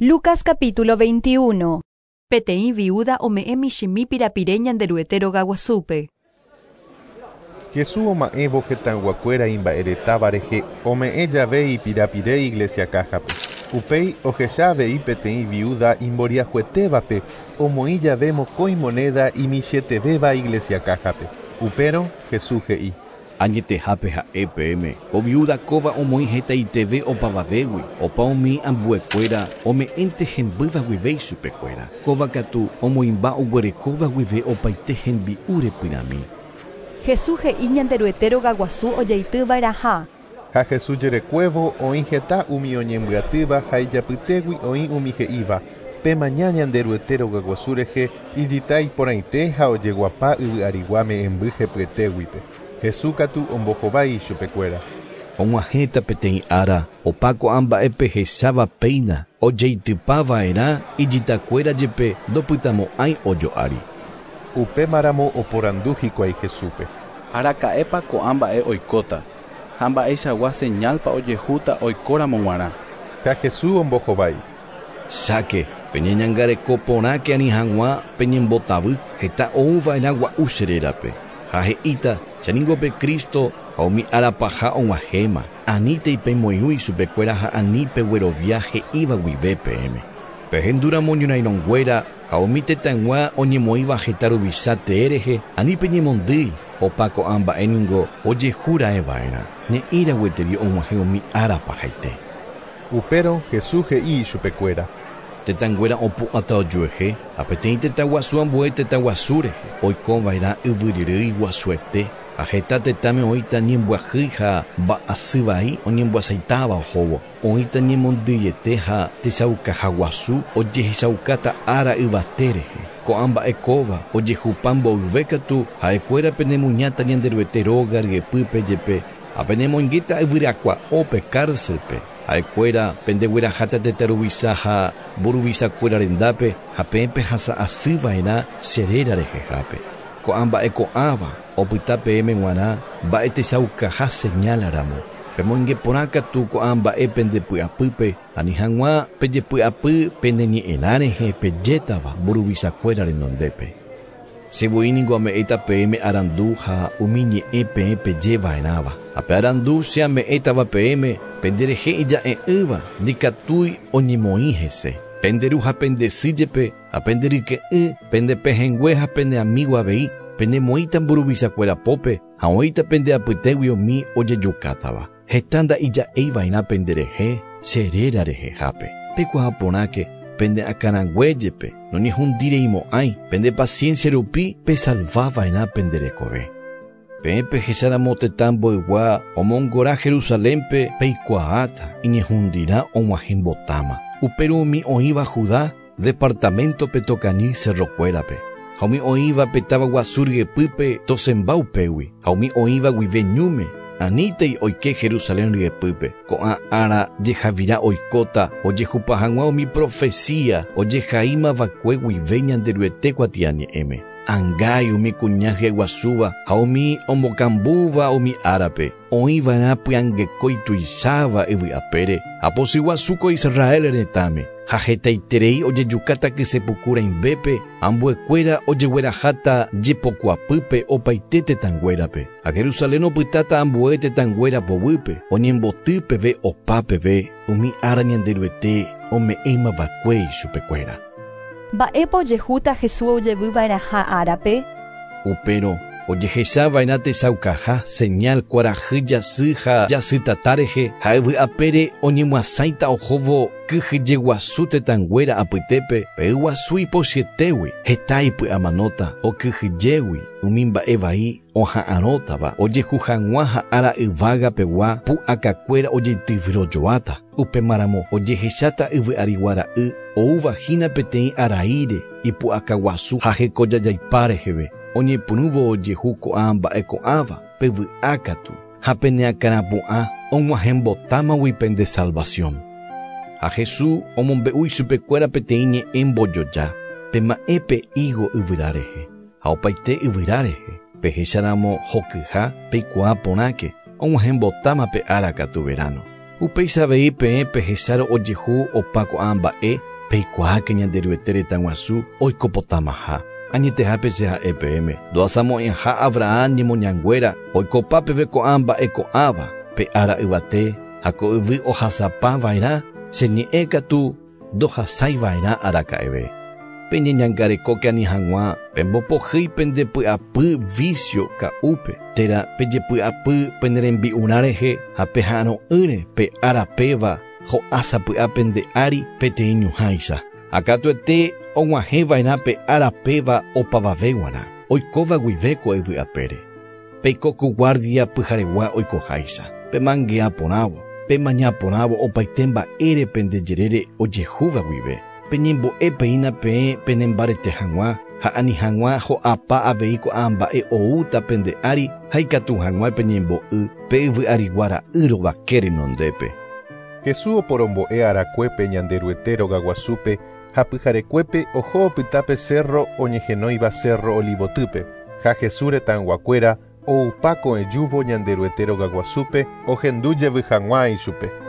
Lucas capítulo 21. Peteĩ viúda ome'ẽ michĩmi pirapire Ñanderuete rogaguasúpe. Jesús oma'ẽvo hetãyguakuéra imba'eretáva rehe ome'ẽ jave ipirapire iglesia káhape. Upéi ohecha avei peteĩ viúda imboriahuetévape omoĩ jave mokõi monéda imichĩetevéva iglesia káhape. Upérõ Jesús he'i. Añetehápe ha'e peẽme, ko viúda kóva omoĩ hetaiteve opavavégui, opa umi ambuekuéra ome'ẽnte hembýva guive ichupekuéra. Kóva katu omoĩmba oguerekóva guive opaite hembi'u repyrãmi. Jesús he'i Ñanderuete rogaguasu ojeityva'erãha. Ha Jesús jerekuévo oĩ heta umi oñembyatýva ha ijapytégui oĩ umi he'íva, Pemaña Ñanderuete rogaguasu rehe ijita iporãite ha ojeguapa yvy arigua me'ẽmby hepyetéguipe. Jesús katu ombohovái ichupekuéra. Og̃uahẽta peteĩ ára opa ko'ã mba'e pehecháva péina ojeitypava'erã ijitakuéra jepe ndopytamo'ãi ojo'ári. Upémaramo oporandu hikuái Jesúspe. Araka'épa ko'ã mba'e oikóta ha mba'eichagua señálpa ojehúta oikóramo g̃uarã. Ha Jesús ombohovái. Cháke, peñeñangareko porãke ani hag̃ua peñembotavy heta ouva'erã gua'u che rérape. Ha he'íta, che ningo pe Cristo ha umi ára paha og̃uahẽma. Anítei pemoirũ ichupekuéra ha ani peguerovia he'íva guive peẽme. Pehendúramo ñorairõnguéra ha umi tetãygua oñemoĩva heta ruvicha tee rehe, ani peñemondýi, opa ko'ã mba'e ningo ojehu raẽva'erã. Ne'ĩra gueteri og̃uahẽ umi ára pahaite. Upérõ Jesús he'i ichupekuéra. Tetãnguéra opu'ãta ojuehe ha peteĩ tetã guasu ambue tetã guasu rehe, oikova'erã yvyryrýi guasuete ha heta tetãme oĩta ñembyahýi ha mba'asy vai oñembyasaitáva ohóvo. Oĩta ñemondýiete ha techaukaha guasu ojehechaukáta ára yvate rehe. Ko'ã mba'e kóva ojehupa mboyve katu ha'ekuéra penemuñáta Ñanderuete róga ryepýpe jepe ha penemoingéta yvyrakua'ópe cárcel-pe. Ha'ekuéra pendegueraháta tetã ruvicha ha mburuvichakuéra rendápe ha peẽ pehasa'asyva'erã che réra rehehápe. Ko'ã mba'e ko'ãva opyta peẽme g̃uarã mba'e techaukaha señal-ramo. Pemoinge porã katu ko'ã mba'e pendepy'apýpe ani hag̃ua pejepy'apy pene ñe'ẽrã rehe pejétava mburuvichakuéra renondépe. Che voi ningo ame'ẽta peẽme arandu ha umi ñe'ẽ peẽ pejeva'erãva. Ha pe arandu che ame'ẽtava peẽme penderehe ija'e'ỹva ndikatúi oñemoĩ hese. Pende ru ha pende sy jepe ha pende ryke'ỹ, pende pehẽngue ha pene amigo avei, penemoĩta mburuvichakuéra pópe ha oĩta pende apytégui umi ojejukátava. Heta nda'ija'eiva'erã penderehe che réra rehehápe. Pekuaa porãke pende akãrangue jepe noñehundireimo'ãi, pende paciencia rupi pesalvava'erã pende rekove. Peẽ pehecháramo tetã mboygua omongora Jerusalénpe peikuaáta iñehundirã og̃uahẽmbotáma. Upérõ umi oĩva Judá departamento-pe tokañy cerrokuérape. Ha umi oĩva pe táva guasu ryepýpe tosẽmba upégui. Ha umi oĩva guive ñúme anítei oike Jerusalén ryepýpe. Ko'ã ára jehavira oikóta ojehupa hag̃ua umi profecía ojehaímava'ekue guive Ñanderuete kuatiañe'ẽme. Angái umi kuña hyeguasúva ha umi ombokambúva umi árape, oĩva'erã py'angekói tuicháva yvy apére ha pochyguasu ko Israel retãme. Ha hetaiterei ojejukáta kysepuku rãimbépe, ambuekuéra ojegueraháta jepokuapýpe opaite tetãnguérape. Ha Jerusalén opytáta ambue tetãnguéra poguýpe, oñemboty peve opa peve umi ára Ñanderuete ome'ẽmava'ekue ichupekuéra. Mba'épa ojehúta Jesús ojevyva'erãha árape? Upérõ ojehechava'erã techaukaha señal kuarahy jasy ha jasytata rehe ha yvy apére oñemyasãita ohóvo kyhyjeguasu tetãnguéra apytépe pe yguasu ipochyetégui heta ipy'amanóta okyhyjégui umi mba'e vai oha'arõtava ojehu hag̃ua ha ára yvágapegua pu'akakuéra ojeityvyrojoáta. Upémaramo ojehecháta yvy arigua ra'y oúvahína peteĩ araíre ipu'akaguasu ha hekojajaipa reheve. Oñepyrũvo ojehu ko'ã mba'e ko'ãva pevy'a katu ha peneakãrapu'ã og̃uahẽmbotámagui pende salvación. Ha Jesús omombe'u ichupekuéra peteĩ ñe'ẽ mbojoja pema'ẽ pe higo yvyra rehe ha opaite yvyra rehe pehecháramo hokyha peikuaa porãke og̃uahẽmbotáma pe ára katu verano. Upéicha avei peẽ pehecháro ojehu opa ko'ã mba'e peikuaáke Ñanderuete retã guasu oikopotamaha. Añetehápe che ha'e peẽme ndohasamo'ãiha Abraham ñemoñanguéra oikopa peve ko'ã mba'e ko'ãva pe ára yvate ha ko yvy ohasapava'erã che ñe'ẽ katu ndohasaiva'erã araka'eve. Peñeñangarekóke ani hag̃ua pembopohýi pendepy'apy vicio ka'úpe térã pejepy'apy penerembi'urã rehe ha peha'arõ'ỹre pe ára péva ho'ásapy'a pende ári peteĩ ñuhãicha. Ha katuete og̃uahẽva'erã pe ára péva opavave g̃uarã oikóva guive ko yvy apére. Peiko ku guardia pyharegua oikoháicha. Pemangea porãvo, pemaña porãvo opaite mba'ére pende jerére ojehúva guive. Peñembo'e peína peẽ penembarete hag̃ua ha ani hag̃ua ho'apa avei ko'ã mba'e oúta pende ári ha ikatu hag̃ua peñembo'y pe yvy arigua ra'y rovake renondépe. Jesús oporombo'e arakuépe Ñanderuete rogaguasúpe ha pyharekuépe oho opyta cerro oñehenóiva cerro Olivotýpe. Ha Jesús retãyguakuéra oupa ko'ẽjúvo Ñanderuete rogaguasúpe ohendu jevy hag̃ua ichupe.